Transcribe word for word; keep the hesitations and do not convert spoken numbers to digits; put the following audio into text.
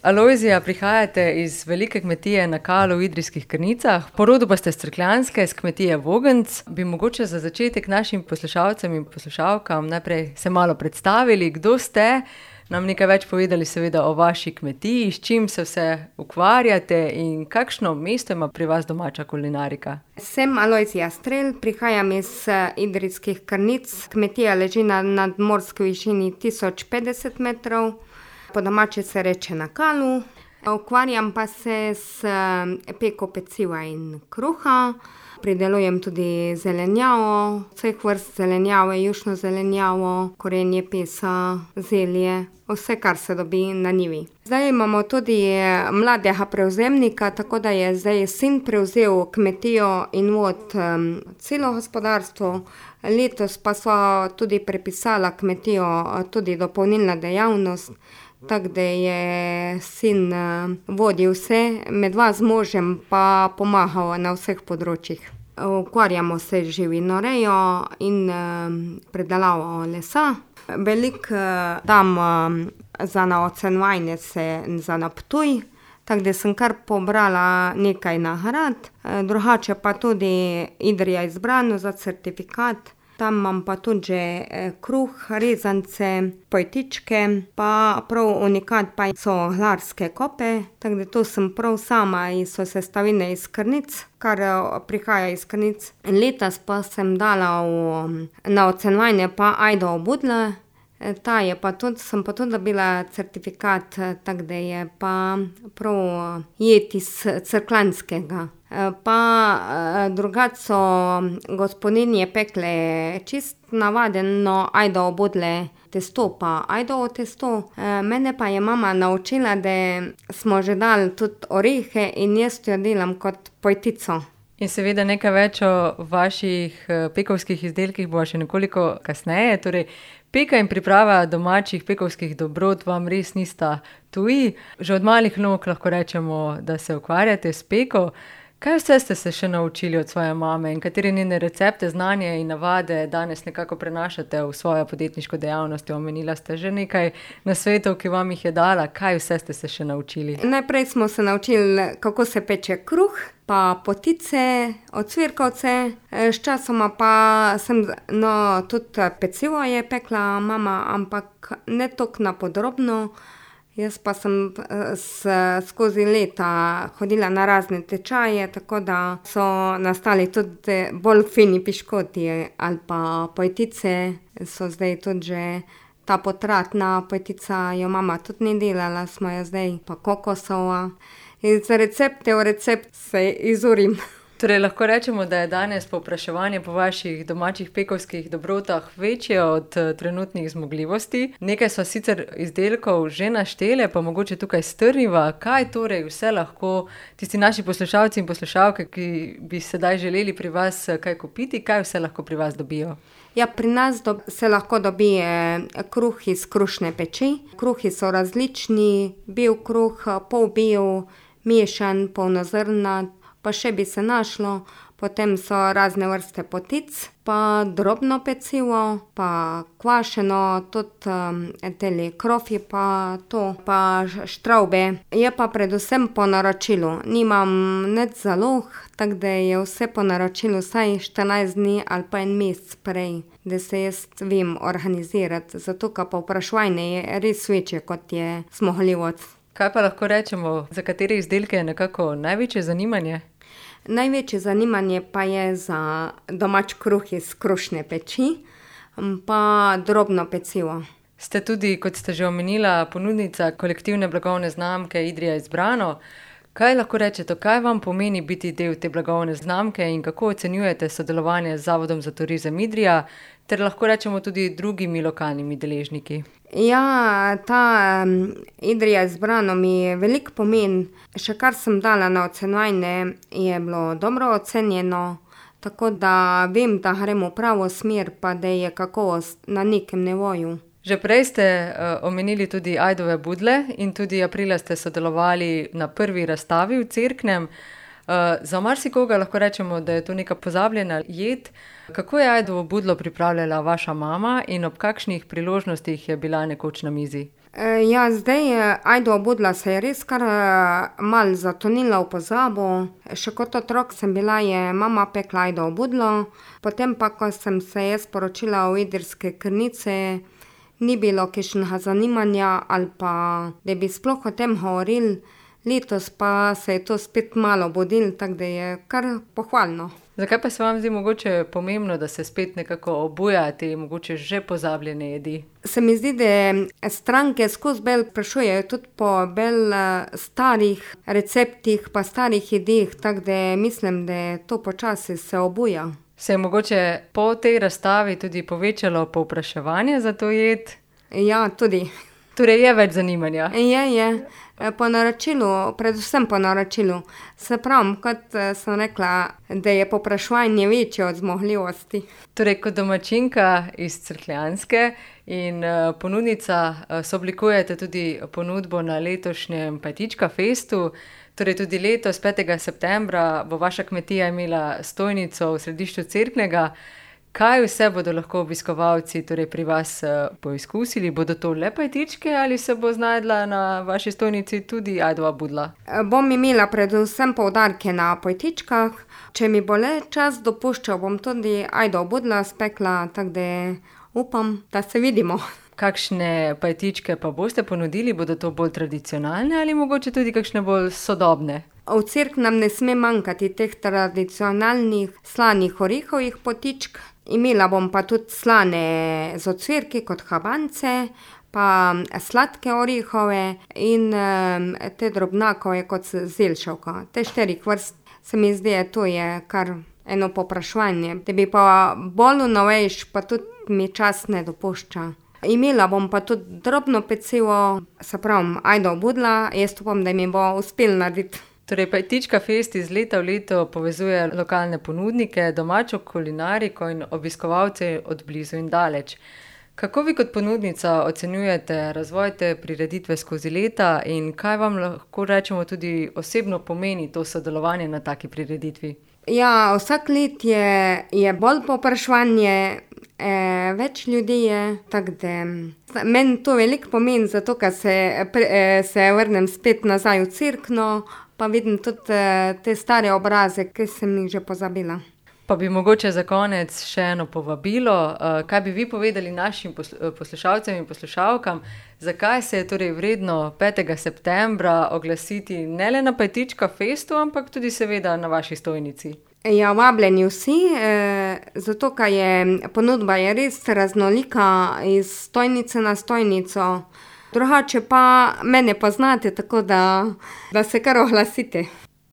Alojzija, prihajate iz velike kmetije na Kalu v Idrijskih Krnicah, po rodu pa ste s Cerkljanske, s kmetije Vogenc. Bi mogoče za začetek našim poslušalcem in poslušalkam najprej se malo predstavili, kdo ste, nam nekaj več povedali seveda o vaši kmetiji, s čim se vse ukvarjate in kakšno mesto ima pri vas domača kulinarika. Sem Alojzija Strel, prihajam iz Idrijskih Krnic. Kmetija leži na nadmorski višini tisoč petdeset metrov. Po domače se reče na Kalu. Ukvarjam pa se s peko peciva in kruha. Pridelujem tudi zelenjavo, vseh vrst zelenjave, jušno zelenjavo, korenje, pesa, zelje, vse, kar se dobi na njivi. Zdaj imamo tudi mladega prevzemnika, tako da je zdaj sin prevzel kmetijo in vod um, celo gospodarstvo. Letos pa so tudi prepisala kmetijo tudi dopolnilna dejavnost, tako da je sin uh, vodil vse, med vas z možem pa pomagal na vseh področjih. Ukvarjamo se z živinorejo in uh, predelavo lesa. Veliko uh, dam uh, za na ocenjevanje se za na Ptuj, tako da sem kar pobrala nekaj nagrad. Uh, drugače pa tudi Idrija izbrano za certifikat. Tam imam pa tudi že kruh, rezance, pojtičke, pa prav unikat pa so Hlarske kope, tako da to sem prav sama in so sestavine iz Krnic, kar prihaja iz Krnic. Letos pa sem dala v, na ocenjevanje pa ajdovo budlo, ta je pa tudi, sem pa tudi dobila certifikat, tako da je pa prav jed iz Cerkljanskega. Pa drugače so gospodinje pekle čist navadno ajdovo budle testo, pa ajdovo testo. Mene pa je mama naučila, da smo že dali tudi orehe in jaz jo delam kot pojtico. In seveda nekaj več o vaših pekovskih izdelkih bo še nekoliko kasneje. Torej, peka in priprava domačih pekovskih dobrot vam res nista tuji. Že od malih nog lahko rečemo, da se ukvarjate s peko. Kaj vse ste se še naučili od svoje mame in katere njene recepte, znanje in navade danes nekako prenašate v svojo podjetniško dejavnost? Omenila ste že nekaj nasvetov, ki vam jih je dala. Kaj vse ste se še naučili? Najprej smo se naučili, kako se peče kruh, pa potice, ocvirkovce. Sčasoma pa sem, no, tudi pecivo je pekla mama, ampak ne toliko na podrobno. Jaz pa sem s, skozi leta hodila na razne tečaje, tako da so nastali tudi bolj fini piškoti ali pa pojtice. So zdaj tudi že ta potratna pojtica, jo mama tudi ni delala, smo jo zdaj pa kokosova. Iz recepte v recept se izurim. Torej, lahko rečemo, da je danes povpraševanje po vaših domačih pekovskih dobrotah večje od trenutnih zmogljivosti. Nekaj so sicer izdelkov že naštele, pa mogoče tukaj strniva. Kaj torej vse lahko tisti naši poslušalci in poslušalke, ki bi sedaj želeli pri vas kaj kupiti, kaj vse lahko pri vas dobijo? Ja, pri nas do, se lahko dobije kruh iz krušne peči. Kruhi so različni, bel kruh, polbel, mešan, polnozrnat. Pa še bi se našlo, potem so razne vrste potic, pa drobno pecivo, pa kvašeno, tudi um, teli krofi, pa to, pa štravbe. Je pa predvsem po naročilu, nimam nič zalog, tako da je vse po naročilu vsaj štirinajst dni ali pa en mesec prej, da se jaz vem organizirati, zato ka povpraševanje je res večje, kot je zmogljivost. Kaj pa lahko rečemo, za katere izdelke je nekako največje zanimanje? Največje zanimanje pa je za domač kruh iz krušne peči, pa drobno pecivo. Ste tudi, kot ste že omenila, ponudnica kolektivne blagovne znamke Idrija izbrano. Kaj lahko rečete, kaj vam pomeni biti del te blagovne znamke in kako ocenjujete sodelovanje z Zavodom za turizem Idrija ter lahko rečemo tudi drugimi lokalnimi deležniki? Ja, ta um, Idrija izbrano mi veliko pomeni. Še kar sem dala na ocenjevanje, je bilo dobro ocenjeno, tako da vem, da gremo v pravo smer, pa da je kakovost na nekem nivoju. Že prej ste uh, omenili tudi ajdove budle in tudi aprila ste sodelovali na prvi razstavi v Cerknem. Uh, za marsikoga lahko rečemo, da je to neka pozabljena jed. Kako je ajdovo budlo pripravljala vaša mama in ob kakšnih priložnostih je bila nekoč na mizi? Ja, zdaj Ajdo obudila se je res kar malo zatonila v pozabo. Še kot otrok sem bila, je mama pekla Ajdo obudlo, potem pa, ko sem se jaz poročila v Idrski Krnici, ni bilo kakšnega zanimanja ali pa, da bi sploh o tem govorili. Letos pa se je to spet malo budilo, tako da je kar pohvalno. Zakaj pa se vam zdi mogoče pomembno, da se spet nekako obuja te mogoče že pozabljene jedi? Se mi zdi, da stranke skozi bolj sprašujejo tudi po bolj starih receptih pa starih jedeh, tako da mislim, da to počasi se obuja. Se je mogoče po tej razstavi tudi povečalo povpraševanje za to jed? Ja, tudi. Torej je več zanimanja? Je, je. Po naročilu, predvsem po naročilu. Se pravi, kot sem rekla, da je povpraševanje večje od zmogljivosti. Torej, kot domačinka iz Cerkljanske in ponudnica sooblikujete tudi ponudbo na letošnjem Pajtička festu. Torej tudi letos, petega septembra, bo vaša kmetija imela stojnico v središču Cerknega. Kaj vse bodo lahko obiskovalci torej pri vas poizkusili? Bodo to le pajtičke ali se bo znajdla na vaši stojnici tudi Ajdova budla? Bom imela predvsem poudarke na pajtičkah. Če mi bo le čas dopuščal, bom tudi Ajdova budla spekla, tako da upam, da se vidimo. Kakšne pajtičke pa boste ponudili? Bodo to bolj tradicionalne ali mogoče tudi kakšne bolj sodobne? V Cerknem ne sme manjkati teh tradicionalnih slanih orehovih potičk. Imela bom pa tudi slane z ocvirki kot habance, pa sladke orehove in te drobnjakove kot zeljšavka. Te štirih vrst se mi zdi, to je kar eno povpraševanje. Da bi pa bolj novejš, pa tudi mi čas ne dopušča. Imela bom pa tudi drobno pecivo, se pravim, Ajdova budla, jaz upam, da mi bo uspelo narediti. Torej, Pajtička fest iz leta v leto povezuje lokalne ponudnike, domačo kulinariko in obiskovalce od blizu in daleč. Kako vi kot ponudnica ocenjujete razvoj te prireditve skozi leta in kaj vam lahko rečemo tudi osebno pomeni to sodelovanje na taki prireditvi? Ja, vsak let je, je bolj povpraševanje, eh, več ljudi je, tako da meni to veliko pomeni, zato ker se, eh, se vrnem spet nazaj v Cerkno, pa vidim tudi te stare obraze, ki sem jih že pozabila. Pa bi mogoče za konec še eno povabilo. Kaj bi vi povedali našim poslušalcem in poslušalkam, zakaj se je torej vredno petega septembra oglasiti ne le na Pajtička festu, ampak tudi seveda na vaši stojnici? Ja, vabljeni vsi, zato ker je ponudba je res raznolika iz stojnice na stojnico. Drugače pa mene poznate, tako da, da se kar oglasite.